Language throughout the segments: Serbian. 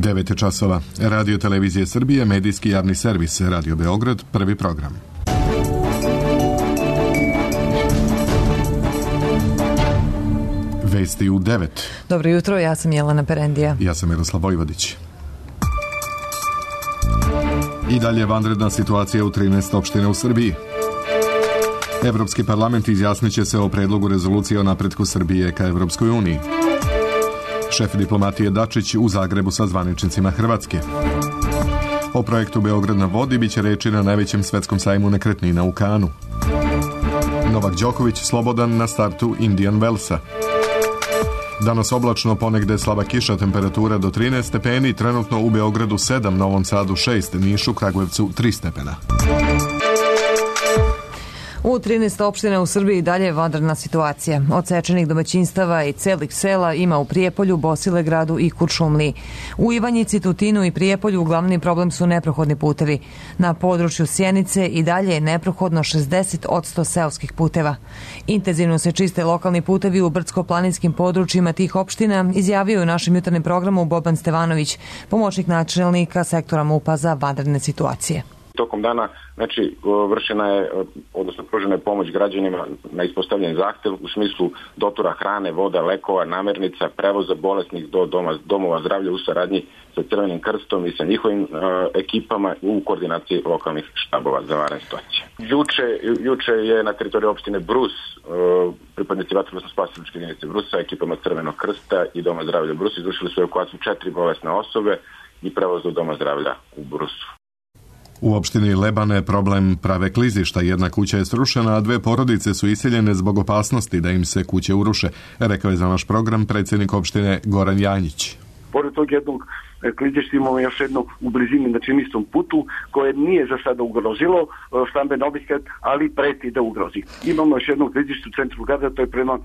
9 časova. Radio Televizije Srbije, medijski javni servis, Radio Beograd, prvi program. Vesti u 9. Dobro jutro, ja sam Jelena Perendija. Ja sam Miroslav Vojvodić. I dalje vanredna situacija u 13 opština u Srbiji. Evropski parlament izjasnit će se o predlogu rezolucije o napretku Srbije ka Evropskoj uniji. Šef diplomatije Dačić u Zagrebu sa zvaničnicima Hrvatske. O projektu Beograd na vodi biće reči na najvećem svetskom sajmu nekretnina u Kanu. Novak Đoković slobodan na startu Indian Wellsa. Danas oblačno, ponegde slaba kiša, temperatura do 13 stepeni, trenutno u Beogradu 7, Novom Sadu 6, Nišu, Kragujevcu 3 stepena. U 13 opština u Srbiji dalje je vanredna situacija. Odsečenih domaćinstava i celih sela ima u Prijepolju, Bosilegradu i Kuršumliji. U Ivanjici, Tutinu i Prijepolju glavni problem su neprohodni putevi. Na području Sjenice i dalje je neprohodno 60% seoskih puteva. Intenzivno se čiste lokalni putevi u brdsko-planinskim područjima tih opština, izjavio je u našem jutarnjem programu Boban Stevanović, pomoćnik načelnika sektora MUP-a za vanredne situacije. Tokom dana, vršena je, odnosno pružena je pomoć građanima na ispostavljen zahtev u smislu dotura hrane, voda, lekova, namirnica, prevoza bolesnih do domova zdravlja u saradnji sa Crvenim krstom i sa njihovim ekipama u koordinaciji lokalnih štabova za vanredne situacije. Juče je na teritoriji opštine Brus pripadnici vatrogasno-spasilačke jedinice Brusa, ekipama Crvenog krsta i Doma zdravlja Brus izvršili su evakuaciju 4 bolesne osobe i prevoz do Doma zdravlja u Brusu. U opštini Lebane problem prave klizišta. Jedna kuća je srušena, a 2 porodice su iseljene zbog opasnosti da im se kuće uruše, rekao je za naš program predsjednik opštine Goran Janjić. Pored tog jednog klizišta imamo još jednog u blizini na činistom putu koje nije za sada ugrozilo stamben objekat, ali preti da ugrozi. Imamo još jednog klizišta u centru grada, to je prema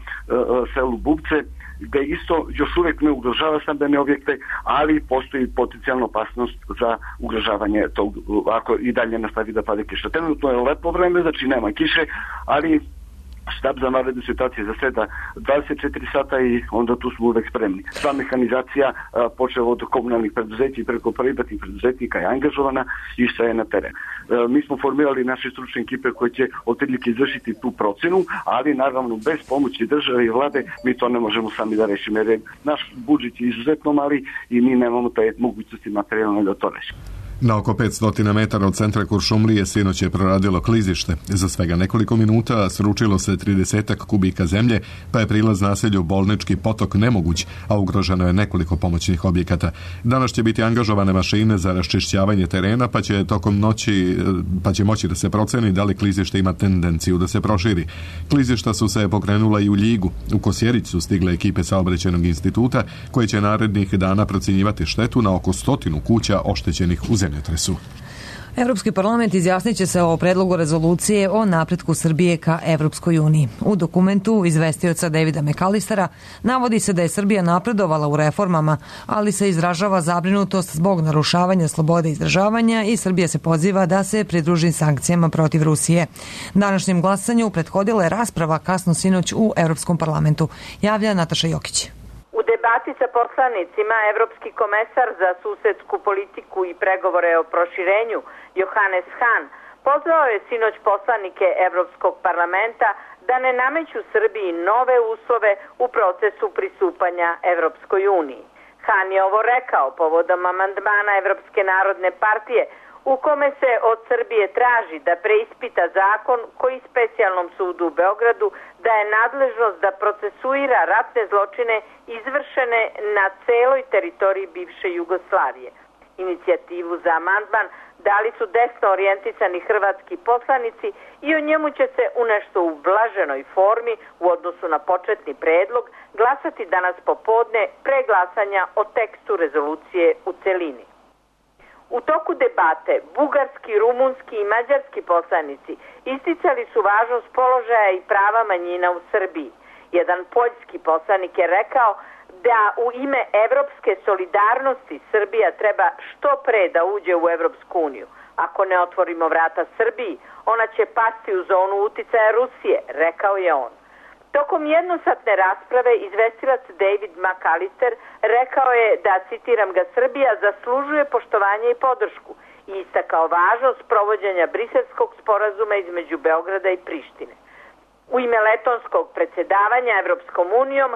selu Bubce, gde isto još uvijek ne ugrožava stambene objekte, ali postoji potencijalna opasnost za ugrožavanje tog, ako i dalje nastavi da pada kiša. Trenutno je lepo vreme, znači nema kiše, ali štab za vanredne situacije zaseda 24 sata i onda tu smo uvek spremni. Sva mehanizacija počela od komunalnih preduzeća i preko privatnih preduzetnika je angažovana i šta je na terenu. Mi smo formirali naše stručne ekipe koje će otprilike izvršiti tu procenu, ali naravno bez pomoći države i vlade mi to ne možemo sami da rešimo, jer naš budžet je izuzetno mali i mi nemamo te mogućnosti materijalne da to rešimo. Na oko 500 metara od centra Kuršumlije sinoć je proradilo klizište. Za svega nekoliko minuta sručilo se 30 kubika zemlje, pa je prilaz naselju Bolnički potok nemoguć, a ugroženo je nekoliko pomoćnih objekata. Danas će biti angažovane mašine za raščišćavanje terena, pa će tokom noći moći da se proceni da li klizište ima tendenciju da se proširi. Klizišta su se pokrenula i u Ljigu. U Kosjerić su stigle ekipe Saobraćajnog instituta koje će narednih dana procjenjivati štetu na oko 100 kuća oštećenih u zemljotresu. Evropski parlament izjasnit će se o predlogu rezolucije o napretku Srbije ka Evropskoj uniji. U dokumentu izvestioca Davida McAllistera navodi se da je Srbija napredovala u reformama, ali se izražava zabrinutost zbog narušavanja slobode izražavanja i Srbija se poziva da se pridruži sankcijama protiv Rusije. Današnjem glasanju prethodila je rasprava kasno sinoć u Evropskom parlamentu. Javlja Nataša Jokić. U debati sa poslanicima Evropski komesar za susedsku politiku i pregovore o proširenju Johannes Hahn pozvao je sinoć poslanike Evropskog parlamenta da ne nameću Srbiji nove uslove u procesu pristupanja Evropskoj uniji. Hahn je ovo rekao povodom amandmana Evropske narodne partije u kome se od Srbije traži da preispita zakon koji specijalnom sudu u Beogradu daje nadležnost da procesuira ratne zločine izvršene na celoj teritoriji bivše Jugoslavije. Inicijativu za amandman dali su desno orijentisani hrvatski poslanici i o njemu će se u nešto ublaženoj formi u odnosu na početni predlog glasati danas popodne pre glasanja o tekstu rezolucije u celini. U toku debate bugarski, rumunski i mađarski poslanici isticali su važnost položaja i prava manjina u Srbiji. Jedan poljski poslanik je rekao da u ime evropske solidarnosti Srbija treba što pre da uđe u Evropsku uniju. Ako ne otvorimo vrata Srbiji, ona će pasti u zonu uticaja Rusije, rekao je on. Tokom jednosatne rasprave izvestilac David McAllister rekao je da, citiram ga, Srbija zaslužuje poštovanje i podršku i istakao važnost provođenja Briselskog sporazuma između Beograda i Prištine. U ime letonskog predsjedavanja Evropskom unijom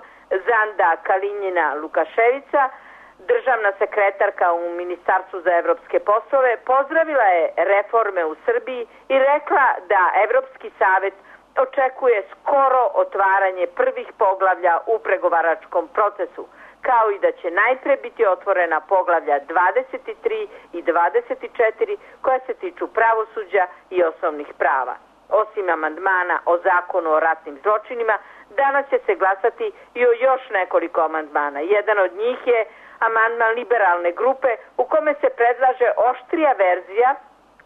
Zanda Kalinjina Lukaševica, državna sekretarka u Ministarstvu za evropske poslove, pozdravila je reforme u Srbiji i rekla da Evropski savet očekuje skoro otvaranje prvih poglavlja u pregovaračkom procesu, kao i da će najpre biti otvorena poglavlja 23 i 24 koja se tiču pravosuđa i osnovnih prava. Osim amandmana o zakonu o ratnim zločinima, danas će se glasati i o još nekoliko amandmana. Jedan od njih je amandman liberalne grupe u kome se predlaže oštrija verzija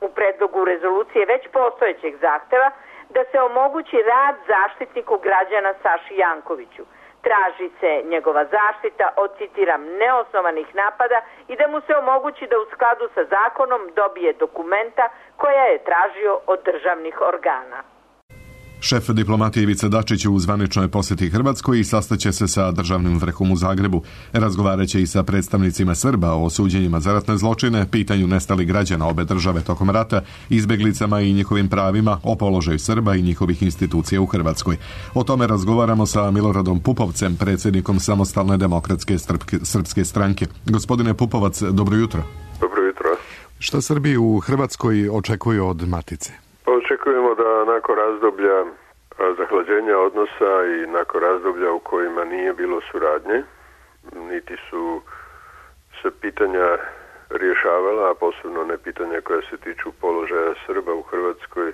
u predlogu rezolucije već postojećeg zahteva da se omogući rad zaštitniku građana Saši Jankoviću. Traži se njegova zaštita od, citiram, neosnovanih napada i da mu se omogući da u skladu sa zakonom dobije dokumenta koja je tražio od državnih organa. Šef diplomatije Ivica Dačić u zvaničnoj posjeti Hrvatskoj i sastaće se sa državnim vrhom u Zagrebu. Razgovaraće i sa predstavnicima Srba o suđenjima za ratne zločine, pitanju nestalih građana obe države tokom rata, izbjeglicama i njihovim pravima, o položaju Srba i njihovih institucija u Hrvatskoj. O tome razgovaramo sa Miloradom Pupovcem, predsjednikom Samostalne demokratske srpske stranke. Gospodine Pupovac, dobro jutro. Dobro jutro. Šta Srbi u Hrvatskoj očekuju od Matice? Očekujemo da nakon razdoblja zahlađenja odnosa i nakon razdoblja u kojima nije bilo suradnje, niti su se pitanja rješavala, a posebno ne pitanja koja se tiču položaja Srba u Hrvatskoj,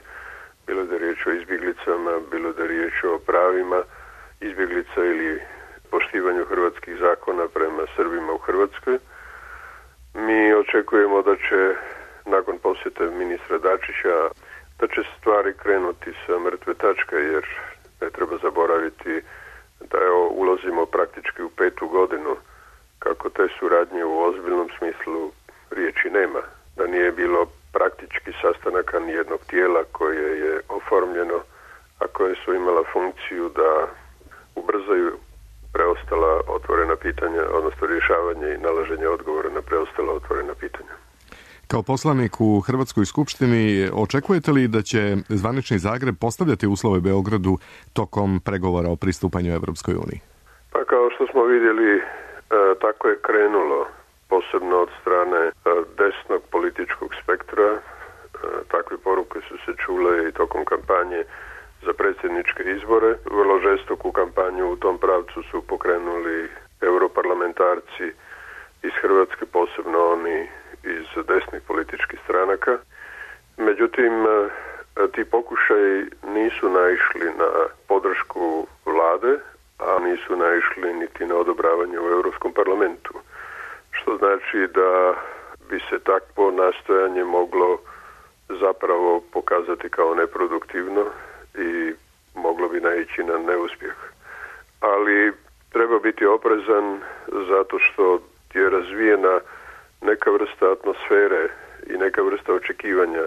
bilo da je riječ o izbjeglicama, bilo da je riječ o pravima izbjeglica ili poštivanju hrvatskih zakona prema Srbima u Hrvatskoj. Mi očekujemo da će nakon posjete ministra Dačića da će stvari krenuti sa mrtve tačke, jer ne treba zaboraviti da ulazimo praktički u 5. godinu kako te suradnje u ozbiljnom smislu riječi nema. Da nije bilo praktički sastanaka nijednog tijela koje je oformljeno, a koje su imala funkciju da ubrzaju preostala otvorena pitanja, odnosno rješavanje i nalaženje odgovora na preostala otvorena pitanja. Kao poslanik u Hrvatskoj skupštini, očekujete li da će zvanični Zagreb postavljati uslove Beogradu tokom pregovora o pristupanju Evropskoj uniji? Pa kao što smo vidjeli, tako je krenulo, posebno od strane desnog političkog spektra. Takve poruke su se čule i tokom kampanje za predsjedničke izbore. Vrlo žestoku kampanju u tom pravcu su pokrenuli europarlamentarci iz Hrvatske, posebno oni iz desnih političkih stranaka. Međutim, ti pokušaji nisu naišli na podršku vlade, a nisu naišli niti na odobravanje u Europskom parlamentu. Što znači da bi se takvo nastojanje moglo zapravo pokazati kao neproduktivno i moglo bi naići na neuspjeh. Ali treba biti oprezan zato što je razvijena neka vrsta atmosfere i neka vrsta očekivanja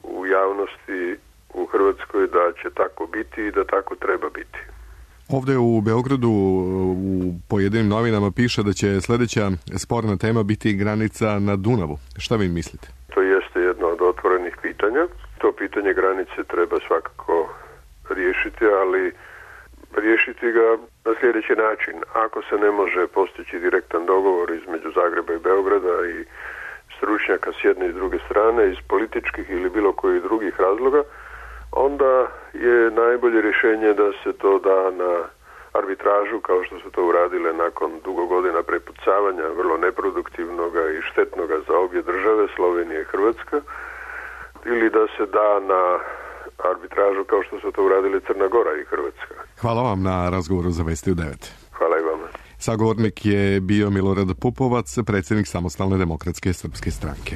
u javnosti u Hrvatskoj da će tako biti i da tako treba biti. Ovdje u Beogradu u pojedinim novinama piše da će sljedeća sporna tema biti granica na Dunavu. Šta vi mislite? To jeste jedno od otvorenih pitanja. To pitanje granice treba svakako riješiti, ali riješiti ga na sljedeći način. Ako se ne može postići direktan dogovor između Zagreba i Beograda i stručnjaka s jedne i s druge strane, iz političkih ili bilo kojih drugih razloga, onda je najbolje rješenje da se to da na arbitražu, kao što su to uradile nakon dugo godina prepucavanja, vrlo neproduktivnoga i štetnoga za obje države, Slovenija i Hrvatska, ili da se da na arbitražu kao što su to uradili Crna Gora i Hrvatska. Hvala vam na razgovoru za Vesti u 9. Hvala i vama. Sagovornik je bio Milorad Pupovac, predsjednik Samostalne demokratske srpske stranke.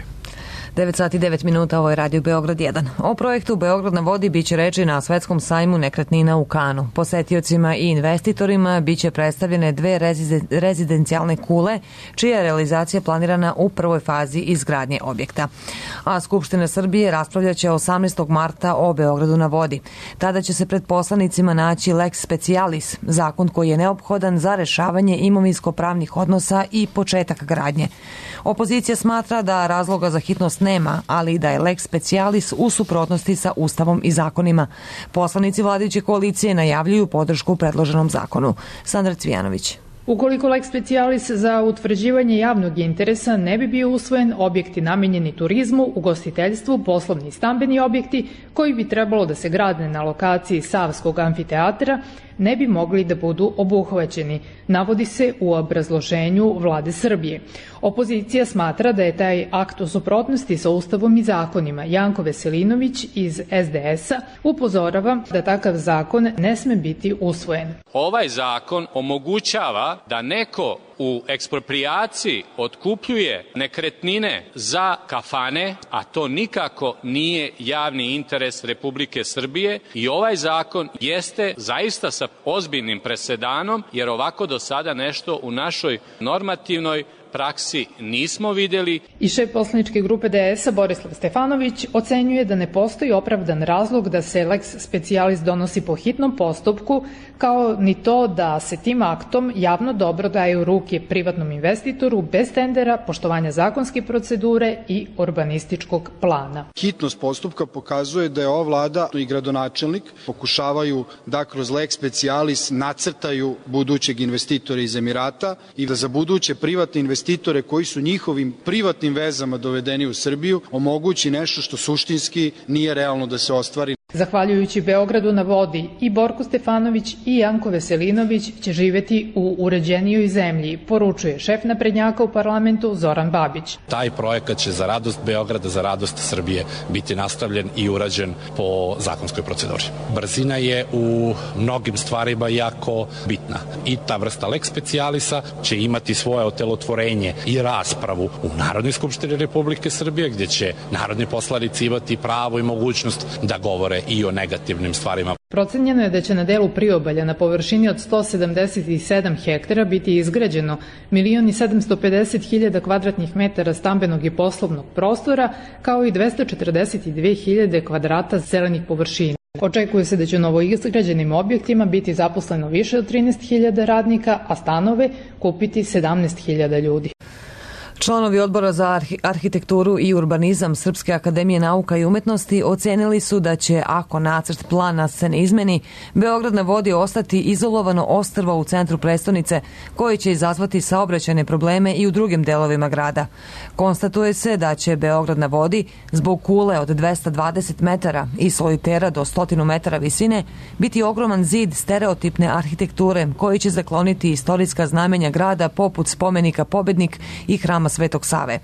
9 sati 9 minuta, ovo je Radio Beograd 1. O projektu Beograd na vodi biće reči na Svetskom sajmu nekretnina u Kanu. Posetiocima i investitorima biće predstavljene dve rezidencijalne kule, čija je realizacija planirana u prvoj fazi izgradnje objekta. A Skupština Srbije raspravljaće 18. marta o Beogradu na vodi. Tada će se pred poslanicima naći lex specialis, zakon koji je neophodan za rešavanje imovinsko-pravnih odnosa i početak gradnje. Opozicija smatra da razloga za hitnost nema, ali i da je lex specialis u suprotnosti sa Ustavom i zakonima. Poslanici vladajuće koalicije najavljuju podršku predloženom zakonu. Sandra Cvijanović. Ukoliko lex specialis za utvrđivanje javnog interesa ne bi bio usvojen, objekti namenjeni turizmu, ugostiteljstvu, poslovni i stambeni objekti koji bi trebalo da se grade na lokaciji Savskog amfiteatra ne bi mogli da budu obuhvaćeni, navodi se u obrazloženju Vlade Srbije. Opozicija smatra da je taj akt u suprotnosti sa Ustavom i zakonima. Janko Veselinović iz SDS-a upozorava da takav zakon ne sme biti usvojen. Ovaj zakon omogućava da neko u eksproprijaciji otkupljuje nekretnine za kafane, a to nikako nije javni interes Republike Srbije i ovaj zakon jeste zaista sa ozbiljnim presedanom, jer ovako do sada nešto u našoj normativnoj praksi nismo vidjeli. I šef poslaničke grupe DS-a Borislav Stefanović ocenjuje da ne postoji opravdan razlog da se lex specialis donosi po hitnom postupku, kao ni to da se tim aktom javno dobro daje u ruke privatnom investitoru bez tendera, poštovanja zakonske procedure i urbanističkog plana. Hitnost postupka pokazuje da je ova vlada i gradonačelnik pokušavaju da kroz lex specialis nacrtaju budućeg investitora iz Emirata i da za buduće privatne investitore koji su njihovim privatnim vezama dovedeni u Srbiju omogući nešto što suštinski nije realno da se ostvari. Zahvaljujući Beogradu na vodi, i Borko Stefanović i Janko Veselinović će živeti u uređenijoj zemlji, poručuje šef naprednjaka u parlamentu Zoran Babić. Taj projekat će za radost Beograda, za radost Srbije biti nastavljen i urađen po zakonskoj proceduri. Brzina je u mnogim stvarima jako bitna i ta vrsta lex specialisa će imati svoje otelotvorenje i raspravu u Narodnoj skupštini Republike Srbije, gdje će narodni poslanici imati pravo i mogućnost da govore i o negativnim stvarima. Procenjeno je da će na delu priobalja na površini od 177 hektara biti izgrađeno 1.750.000 kvadratnih metara stambenog i poslovnog prostora, kao i 242.000 kvadrata zelenih površina. Očekuje se da će u novoizgrađenim objektima biti zaposleno više od 13.000 radnika, a stanove kupiti 17.000 ljudi. Članovi Odbora za arhitekturu i urbanizam Srpske akademije nauka i umetnosti ocenili su da će, ako nacrt plana se ne izmeni, Beograd na vodi ostati izolovano ostrvo u centru prestonice, koji će izazvati saobraćajne probleme i u drugim delovima grada. Konstatuje se da će Beograd na vodi, zbog kule od 220 metara i solitera do 100 metara visine, biti ogroman zid stereotipne arhitekture koji će zakloniti istorijska znamenja grada poput spomenika Pobednik i hrama Svetog Save.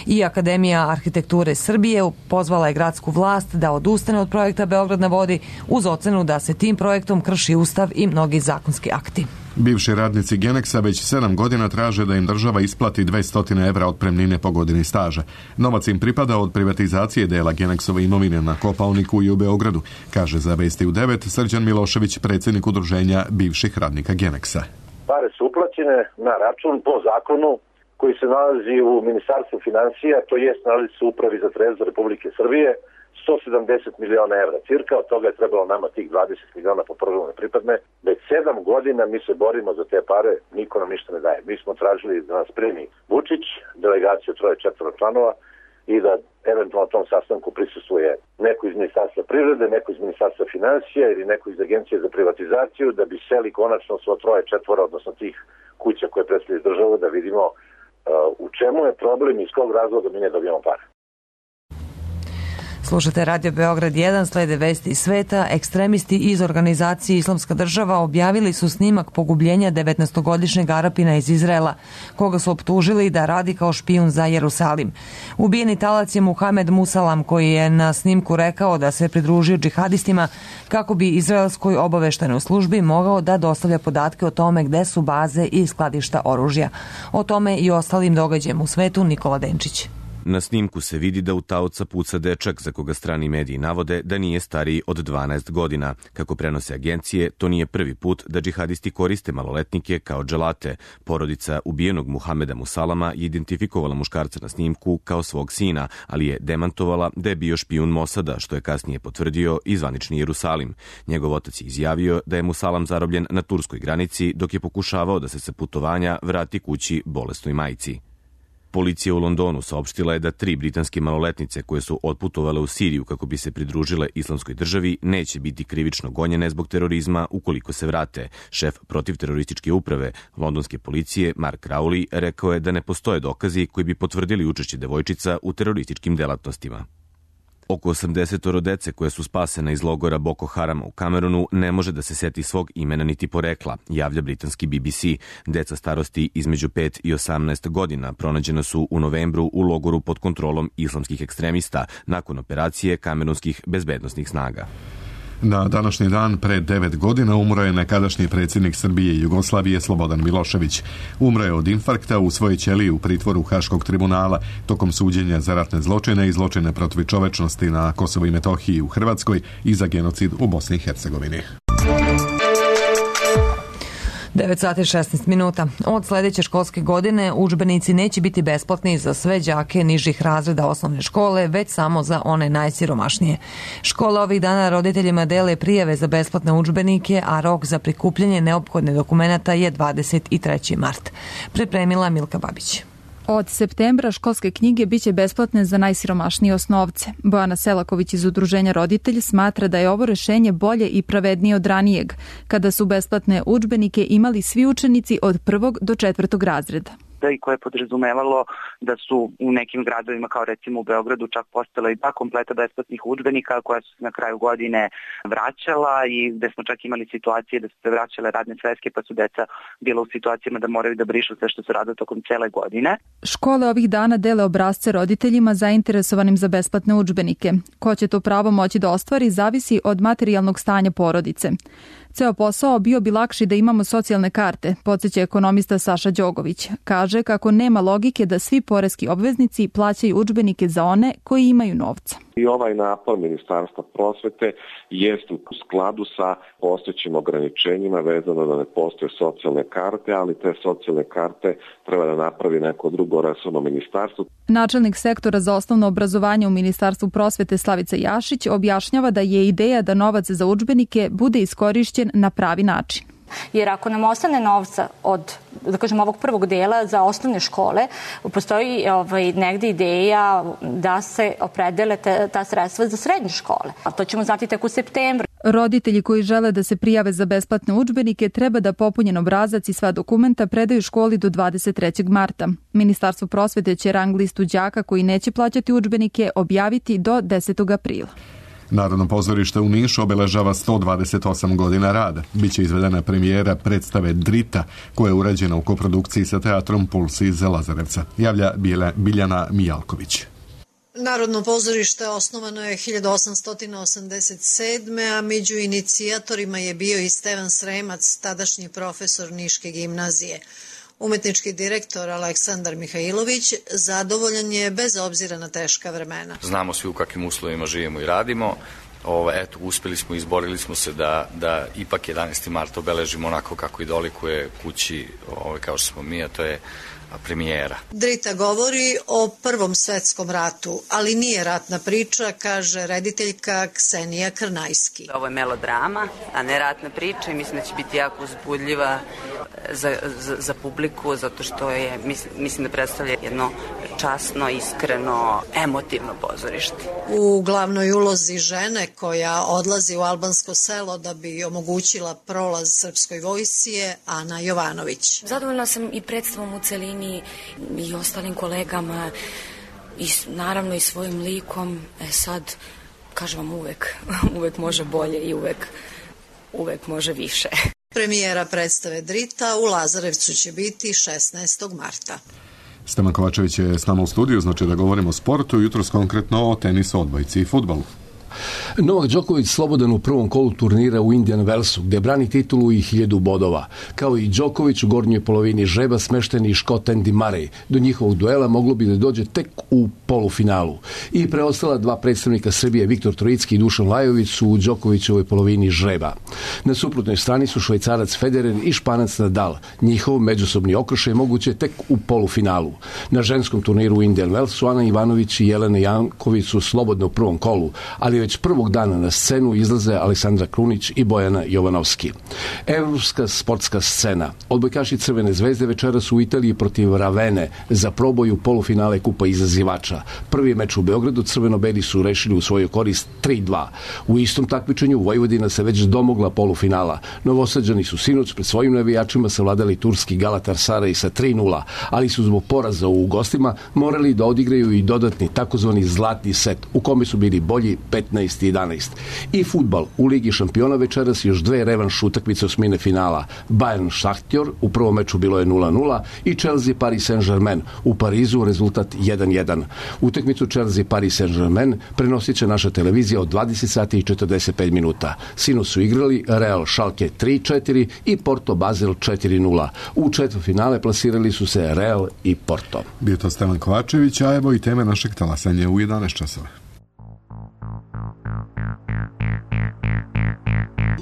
I Akademija arhitekture Srbije pozvala je gradsku vlast da odustane od projekta Beograd na vodi uz ocenu da se tim projektom krši Ustav i mnogi zakonski akti. Bivši radnici Genexa već 7 godina traže da im država isplati 200 evra otpremnine po godini staža. Novac im pripada od privatizacije dela Genexove imovine na Kopaoniku i u Beogradu, kaže za Vesti u 9 Srđan Milošević, predsjednik udruženja bivših radnika Genexa. Pare su uplaćene na račun po zakonu koji se nalazi u Ministarstvu finansija, to jest nalazi se u Upravi za trezor Republike Srbije, 170 miliona evra cirka, od toga je trebalo nama tih 20 miliona po programu ne pripadne. Već 7 godina mi se borimo za te pare, niko nam ništa ne daje. Mi smo tražili da nas primi Vučić, delegaciju 3-4 članova i da eventualno na tom sastanku prisustvuje neko iz Ministarstva privrede, neko iz Ministarstva finansija ili neko iz Agencije za privatizaciju, da bi seli konačno svo 3-4, odnosno tih kuća koje predstavljaju državu, da vidimo u čemu je problem i iz kog razloga mi ne dobijamo pare. Slušate Radio Beograd 1, slede vesti iz sveta. Ekstremisti iz organizacije Islamska država objavili su snimak pogubljenja 19-godišnjeg Arapina iz Izraela, koga su optužili da radi kao špijun za Jerusalim. Ubijeni talac je Muhamed Musalam, koji je na snimku rekao da se pridružio džihadistima kako bi izraelskoj obaveštajnoj službi mogao da dostavlja podatke o tome gde su baze i skladišta oružja. O tome i ostalim događajem u svetu Nikola Denčić. Na snimku se vidi da u taoca puca dečak za koga strani mediji navode da nije stariji od 12 godina. Kako prenose agencije, to nije prvi put da džihadisti koriste maloletnike kao dželate. Porodica ubijenog Muhameda Musalama je identifikovala muškarca na snimku kao svog sina, ali je demantovala da je bio špijun Mosada, što je kasnije potvrdio i zvanični Jerusalim. Njegov otac je izjavio da je Musalam zarobljen na turskoj granici dok je pokušavao da se sa putovanja vrati kući bolesnoj majci. Policija u Londonu saopštila je da 3 britanske maloletnice koje su otputovale u Siriju kako bi se pridružile Islamskoj državi neće biti krivično gonjene zbog terorizma ukoliko se vrate. Šef protivterorističke uprave londonske policije Mark Rowley rekao je da ne postoje dokazi koji bi potvrdili učešće devojčica u terorističkim delatnostima. Oko 80 dece koje su spasene iz logora Boko Harama u Kamerunu ne može da se seti svog imena niti porekla, javlja britanski BBC. Deca starosti između 5 i 18 godina pronađena su u novembru u logoru pod kontrolom islamskih ekstremista nakon operacije kamerunskih bezbednosnih snaga. Na današnji dan pre 9 godina umro je nekadašnji predsjednik Srbije i Jugoslavije Slobodan Milošević. Umro je od infarkta u svojoj ćeliji u pritvoru Haškog tribunala tokom suđenja za ratne zločine i zločine protiv čovečnosti na Kosovu i Metohiji u Hrvatskoj i za genocid u Bosni i Hercegovini. 9 sati 16 minuta. Od sljedeće školske godine udžbenici neće biti besplatni za sve đake nižih razreda osnovne škole, već samo za one najsiromašnije. Škola ovih dana roditeljima dele prijave za besplatne udžbenike, a rok za prikupljanje neophodne dokumenata je 23. mart. Pripremila Milka Babić. Od septembra školske knjige biće besplatne za najsiromašnije osnovce. Bojana Selaković iz Udruženja Roditelj smatra da je ovo rešenje bolje i pravednije od ranijeg, kada su besplatne udžbenike imali svi učenici od 1. do 4. razreda. I koje je podrazumevalo da su u nekim gradovima, kao recimo u Beogradu, čak postala i 2 kompleta besplatnih udžbenika koja su se na kraju godine vraćala i gde smo čak imali situacije da su se vraćale radne sveske pa su deca bila u situacijama da moraju da brišu sve što se rade tokom cele godine. Škole ovih dana dele obrasce roditeljima zainteresovanim za besplatne udžbenike. Ko će to pravo moći da ostvari zavisi od materijalnog stanja porodice. Ceo posao bio bi lakši da imamo socijalne karte, podsjeća ekonomista Saša Đogović. Kaže kako nema logike da svi poreski obveznici plaćaju udžbenike za one koji imaju novca. I ovaj napor Ministarstva prosvete jest u skladu sa postojećim ograničenjima vezano da ne postoje socijalne karte, ali te socijalne karte treba da napravi neko drugo resorno ministarstvo. Načelnik sektora za osnovno obrazovanje u Ministarstvu prosvete Slavica Jašić objašnjava da je ideja da novac za udžbenike bude iskorišćen na pravi način. Jer ako nam ostane novca od, da kažem, ovog prvog dela za osnovne škole, postoji negde ideja da se opredele ta sredstva za srednje škole. A to ćemo znati tek u septembru. Roditelji koji žele da se prijave za besplatne udžbenike treba da popunjen obrazac i sva dokumenta predaju školi do 23. marta. Ministarstvo prosvete će rang listu đaka koji neće plaćati udžbenike objaviti do 10. aprila. Narodno pozorište u Nišu obeležava 128 godina rada. Biće izvedena premijera predstave Drita, koja je urađena u koprodukciji sa teatrom Puls iz Lazarevca. Javlja Biljana Mijalković. Narodno pozorište osnovano je 1887. a među inicijatorima je bio i Stevan Sremac, tadašnji profesor Niške gimnazije. Umetnički direktor Aleksandar Mihajlović zadovoljan je bez obzira na teška vremena. Znamo svi u kakvim uslovima živimo i radimo. Eto, uspeli smo, izborili smo se da ipak 11. mart obeležimo onako kako i dolikuje kući kao što smo mi, a to je premijera. Drita govori o Prvom svetskom ratu, ali nije ratna priča, kaže rediteljka Ksenija Krnajski. Ovo je melodrama, a ne ratna priča i mislim da će biti jako uzbudljiva za publiku, zato što je, mislim da predstavlja jedno časno, iskreno, emotivno pozorište. U glavnoj ulozi žene koja odlazi u albansko selo da bi omogućila prolaz srpskoj vojsci je Ana Jovanović. Zadovoljna sam i predstavom u celini i ostalim kolegama i naravno i svojim likom. Sad, kažem vam, uvek može bolje i uvek može više. Premijera predstave Drita u Lazarevcu će biti 16. marta. Stevan Kovačević je s nama u studiju, znači da govorimo o sportu, jutros konkretno o tenisu, odbojci i fudbalu. Novak Đoković slobodan u prvom kolu turnira u Indian Wellsu, gde brani titulu i 1000 bodova. Kao i Đoković u gornjoj polovini žreba smešteni Škot Andy Murray. Do njihovog duela moglo bi da dođe tek u polufinalu. I preostala dva predstavnika Srbije, Viktor Trojicki i Dušan Lajović, su u Đokovićevoj polovini žreba. Na suprotnoj strani su Švajcarac Federer i Španac Nadal. Njihov međusobni okršaj moguće tek u polufinalu. Na ženskom turniru u Indian Wellsu Ana Ivanović i Jelena Janković su slobodno u prvom kolu, ali već prvog dana na scenu izlaze Aleksandra Krunić i Bojana Jovanovski. Evropska sportska scena. Odbojkaši Crvene zvezde večeras su u Italiji protiv Ravene za proboj u polufinale Kupa izazivača. Prvi meč u Beogradu crveno-beli su rešili u svoju korist 3-2. U istom takmičenju Vojvodina se već domogla polufinala. Novosađani su sinoć pred svojim navijačima savladali turski Galatasaray sa 3-0, ali su zbog poraza u gostima morali da odigraju i dodatni takozvani zlatni set, u kome su bili bolji 15-11. I fudbal. U Ligi šampiona večeras još dve revanš utakmice osmine finala. Bayern Šahtjor, u prvom meču bilo je 0-0 i Chelsea Paris Saint-Germain. U Parizu rezultat 1-1. Utakmicu Chelsea Paris Saint-Germain prenosit će naša televizija od 20 sati i 45 minuta. Sinoć su igrali Real Schalke 3-4 i Porto Basel 4-0. U četvrtfinale plasirali su se Real i Porto. Bio to Stevan Kovačević, a evo i teme našeg talasanja u 11 časova.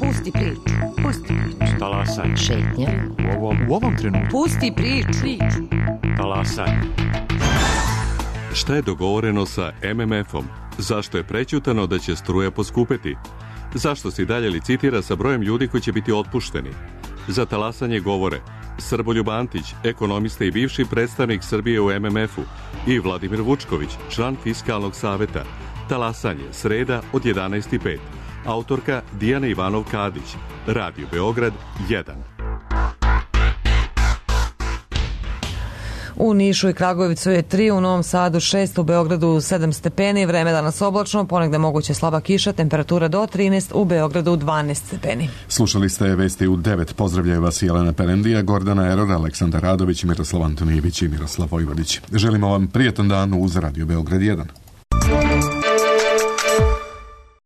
Pusti priču. Pusti priču. Talasanje. Šetnja. U ovom trenutku. Pusti priču. Talasanje. Šta je dogovoreno sa MMF-om? Zašto je prećutano da će struja poskupeti? Zašto se i dalje licitira sa brojem ljudi koji će biti otpušteni? Za talasanje govore Srboljub Antić, ekonomista i bivši predstavnik Srbije u MMF-u, i Vladimir Vučković, član Fiskalnog saveta. Talasanje, sreda od 11:05. Autorka Dijana Ivanov-Kadić. Radio Beograd 1. U Nišu i Kragujevcu je 3, u Novom Sadu 6, u Beogradu 7 stepeni, vreme danas oblačno, ponegde moguće slaba kiša, temperatura do 13, u Beogradu 12 stepeni. Slušali ste vesti u 9. Pozdravljaju vas Jelena Perendija, Gordana Eror, Aleksandar Radović, Miroslav Antonijević i Miroslav Vojvodić. Želimo vam prijetan dan uz Radio Beograd 1.